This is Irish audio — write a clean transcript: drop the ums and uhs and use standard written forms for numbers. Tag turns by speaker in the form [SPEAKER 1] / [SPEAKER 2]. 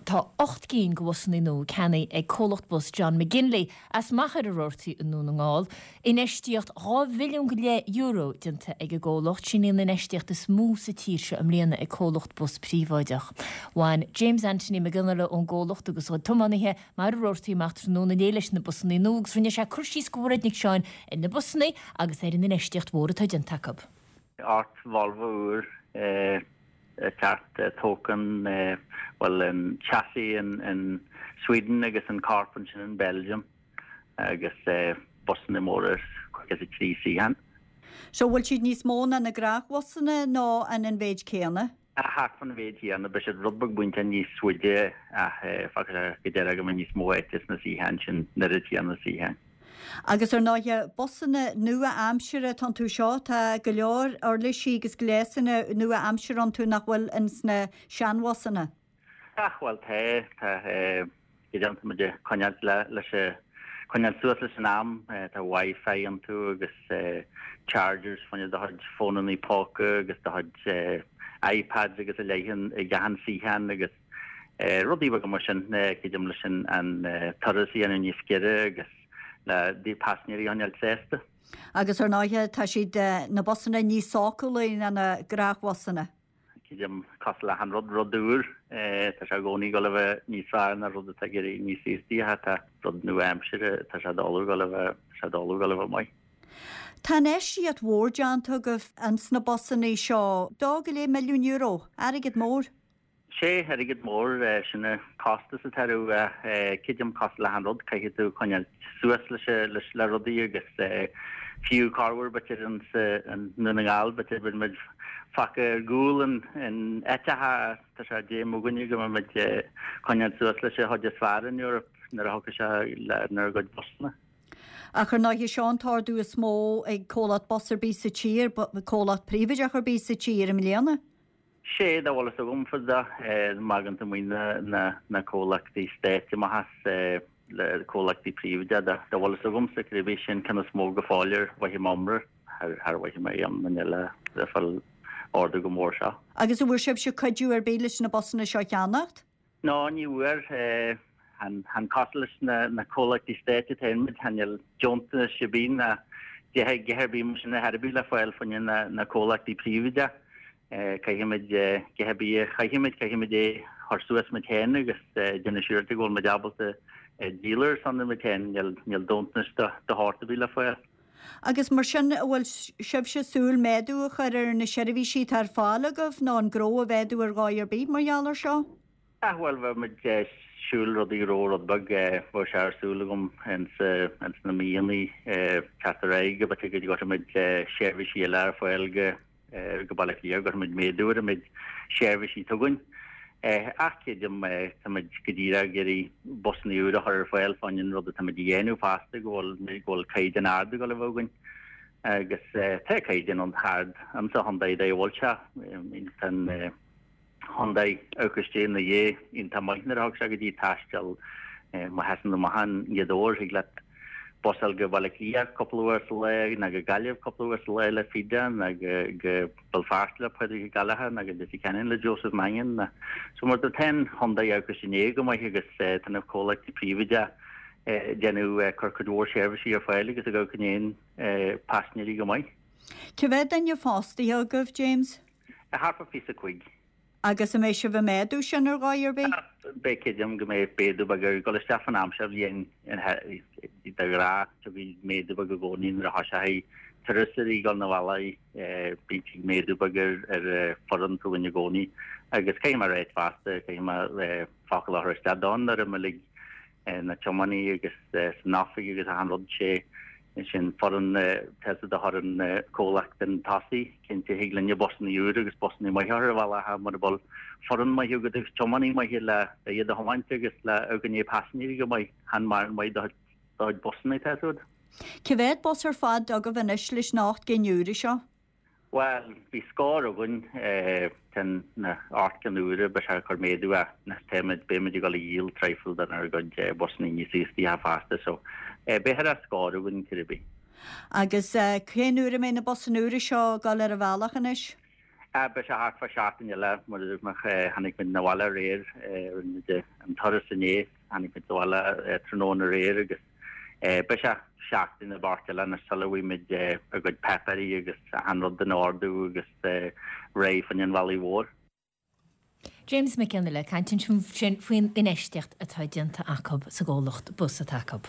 [SPEAKER 1] Tá 8 gcinn de bhusanna nua ceannaithe ag comhlacht bus John McGinley as Machaire Rabhartaigh i nDún na nGall. Infheistíocht €2 mhilliún go leith déanta ag an gcomhlacht. Sin í an infheistíocht is mó sa tír seo i mbliana ag comhlacht bus príobháideach. Bhain James Anthony Mac Fhionnghaile ón gcomhlacht agus a chuid tiománaithe Machaire Rabhartaigh amach tráthnóna inné leis na busanna nua agus rinne sé cur síos do Mhairéad Nic Seáin ar na busanna agus ar an infheistíocht mhór atá déanta acu.
[SPEAKER 2] 8 Volvo úr ceart tógtha, bhuel an chassis in Sweden agus an corp ansin in Belgium agus busanna móra 53 suíochán.
[SPEAKER 3] So bhfuil siad níos mó ná na gnáthbhusanna nó an an mhéid céanna?
[SPEAKER 2] Thart fán mhéid chéanna, beidh siad rud beag bainte níos faide ach fágfaidh sé go deireadh go mbeidh níos mó áite sna suíocháin sin, an oiread céanna suíocháin.
[SPEAKER 3] Agus ar ndóighe, busanna nua-aimsire atá iontu seo, tá go leor uirlisí agus gléasanna nua-aimsire iontu nach bhfuil ins na seanbhusanna.
[SPEAKER 2] Ach bhuel tá, tá, go deimhin tá muid ag coinneáilt le, leis a, coinneáil suas leis an am, tá Wi-Fi iontu agus chargers fá choinne do chuid fónannaí póca agus do chuid iPads agus a leithéid ag achan suíochán agus rudaí beaga mar sin, creidim leis an an turas a dhéanamh níos giorra agus le paisinéirí a choinneáil sásta.
[SPEAKER 3] Agus ar ndóighe tá siad, na busanna níos sócúlaí ná na gnáthbhusanna.
[SPEAKER 2] Creidim, cosúil le achan rud, rud úr, tá sé i gcónaí ag dul a bheith níos fearr ná rud atá ag éirí níos aostaithe, tá rud nua-aimsire, tá sé doiligh ag dul a bheith, tá sé doiligh ag dul a bheith maith.
[SPEAKER 3] Tá infheistíocht mhór déanta agaibh ins na busanna seo, €2.5 milliún, airgead mór.
[SPEAKER 2] Sé, airgead mór, sin an costas atá orthu ach creidim cosúil le achan rud, caithfidh tú coinneáil suas leis, leis, le rudaí agus fiú corruair b'fhéidir ins i nDún na nGall, b'fhéidir bíonn muid fágtha ar gcúl in, in áiteacha tá sé d'aidhm againne go mbeidh muid coinneáil suas leis an chuid is fearr in Europe nuair a thiocfaidh sé lenár gcuid busanna.
[SPEAKER 3] Ach ar ndóighe seo an t-ordú is mó ag comhlacht bus ar bith sa tír, comhlacht príobháideach ar bith sa tír i mbliana.
[SPEAKER 2] Sé, dá bhfuil fhios agam fá dá má fhágann tú amuigh na comhlachtaí stáit amach as le comhlachtaí príobháideacha, dá bhfuil fhios agamsa cibé sin ceann is mó go fóill ar mhothaigh mé iomrá, char mhothaigh mé aon duine eile ag fáil ordú chomh mór seo.
[SPEAKER 3] Agus an bhfuair sibhse cuidiú ar bith leis na busanna seo a cheannacht?
[SPEAKER 2] No, ní bhfuair. Chan cosúil leis na comhlachtaí stáit atá muid, chan fhuil deontas ar bith ná a dhath ar bith mar sin ar chor ar bith le fáil fá choinne na comhlachtaí príobháideacha. Caithfimid a dhath ar bith a chaithfimid, caithfimid é a chur suas muid féin agus déanamh siúráilte go bhfuil muid ábalta díol ar son muid féin. Níl deontas de shórt ar bith le fáil.
[SPEAKER 3] Agus mar sin, an bhfuil sibhse ag súil méadú a chur ar na seirbhísí atá ar fáil agaibh nó an gnó a mhéadú ar dhóigh ar bith mar gheall air seo?
[SPEAKER 2] Ach bhuel, bheadh muid ag súil rudaí a ró rud beag, bheadh sé ar súil agam ins na míonna teacht ar aghaidh go b'fhéidir go gcuirfidh muid seirbhísí eile ar fáil go go Baile Átha Cliath, go gcuirfidh muid méadú ar an méid seirbhísí atá againn. Ach creidim, tá muid go díreach ag iarraidh busanna úra a chur ar fáil fá choinne an rud atá muid a dhéanamh fosta, go bhfuil, go bhfuil caighdeán ard ag dul a bheith againn. Agus tá caighdeán an-ard insa Hyundai dá bhfuil sé. Tá an. Hyundai amharc istigh ina dhiaidh iontach maith nuair a thug sé go dtí taisteal má sheasann tú amach i nGaoth Dobhair thig leat bus a fháil go Baile Átha Cliath cúpla uair sa lá nó go Gaillimh cúpla uair sa lá le Fida nó go go Béal Feirste le Pádraig Ó Gallchóir nó go Leitir Ceanainn le Joseph Mannion nó so mar tá an Hyundai amharc istigh ina dhiaidh go maith agus tá na comhlachtaí príobháideacha ag déanamh cur cuid mhór seirbhísí ar fáil agus ag amharc i ndiaidh paisinéirí go maith.
[SPEAKER 3] Cé mhéad duine fostaithe agaibh, James?
[SPEAKER 2] Thart fá 25.
[SPEAKER 3] Agus an mbeidh sibh ag méadú sin ar dhóigh ar bith?
[SPEAKER 2] Beidh, creidim go mbeidh méadú beag ag dul isteach fan am seo bhliain de ghnáth tiocfaidh méadú beag i gcónaí nuair a thoiseochaidh turasóirí ag dul 'na bhaile bíonn méadú beag ar ar foireann chugainn i gcónaí agus caithfidh mé a ráit fosta caithfidh mé focal a chur isteach don fhoireann uilig na tiománaí agus san oifig agus achan rud sé sin foireann tá's agat a chuir an comhlacht chun tosaigh. Cinnte thig linne busanna úra agus busanna maithe a chur ar an bhealach ach mura bhfuil foireann maith agat agus tiománaí maithe le iad a thiomáint agus le amharc i ndiaidh paisinéirí go maith, chan mórán maith do chuid busanna tá's agat.
[SPEAKER 3] Cé mhéad bus ar fad agaibh anois leis na 8 gcinn úra seo?
[SPEAKER 2] Bhuel, bhí scór againn, tá na 8 gcinn úra, beidh sé ag cur méadú ach táimid, beimid ag dul a dhíol traidhfil denár gcuid busanna níos aostaithe fosta so beidh ar scór againn cibé.
[SPEAKER 3] Agus cén uair a mbeidh na busanna úra seo ag dul ar an bhealach anois?
[SPEAKER 2] Beidh sé thart fá seachtain eile, mar a dúirt mé, tháinig muid 'na bhaile aréir, rinne muid an turas inné, tháinig muid 'na bhaile tráthnóna aréir agus beidh sé seachtain nó beart eile anois sula bhfaighidh muid ár gcuid páipéirí agus achan rud in ordú agus réidh fá choinne an bhealaigh mhóir.
[SPEAKER 1] James Mac Fhionnaile ag caint ansin faoin infheistíocht atá déanta acu sa gcomhlacht bus atá acu.